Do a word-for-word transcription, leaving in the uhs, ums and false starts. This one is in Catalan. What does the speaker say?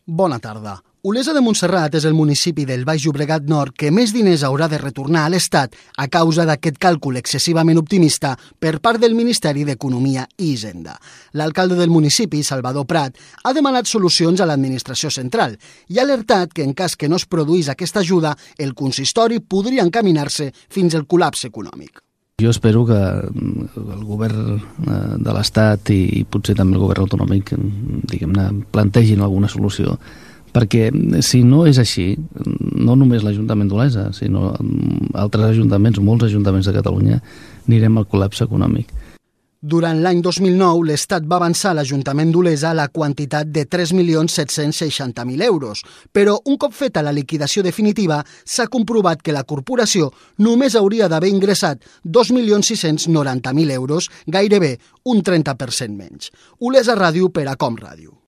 Bona tarda. Olesa de Montserrat és el municipi del Baix Llobregat Nord que més diners haurà de retornar a l'Estat a causa d'aquest càlcul excessivament optimista per part del Ministeri d'Economia i Hisenda. L'alcalde del municipi, Salvador Prat, ha demanat solucions a l'administració central i ha alertat que en cas que no es produís aquesta ajuda, el consistori podria encaminar-se fins al col·lapse econòmic. Jo espero que el govern de l'Estat i potser també el govern autonòmic, diguem-ne, plantegin alguna solució, perquè si no és així, no només l'Ajuntament d'Olesa, sinó altres ajuntaments, molts ajuntaments de Catalunya, anirem al col·lapse econòmic. Durant l'any dos mil nou, l'Estat va avançar a l'Ajuntament d'Olesa la quantitat de tres milions set-cents seixanta mil euros, però un cop feta la liquidació definitiva s'ha comprovat que la corporació només hauria d'haver ingressat dos milions sis-cents noranta mil euros, gairebé un trenta per cent menys. Olesa Ràdio per a Com Ràdio.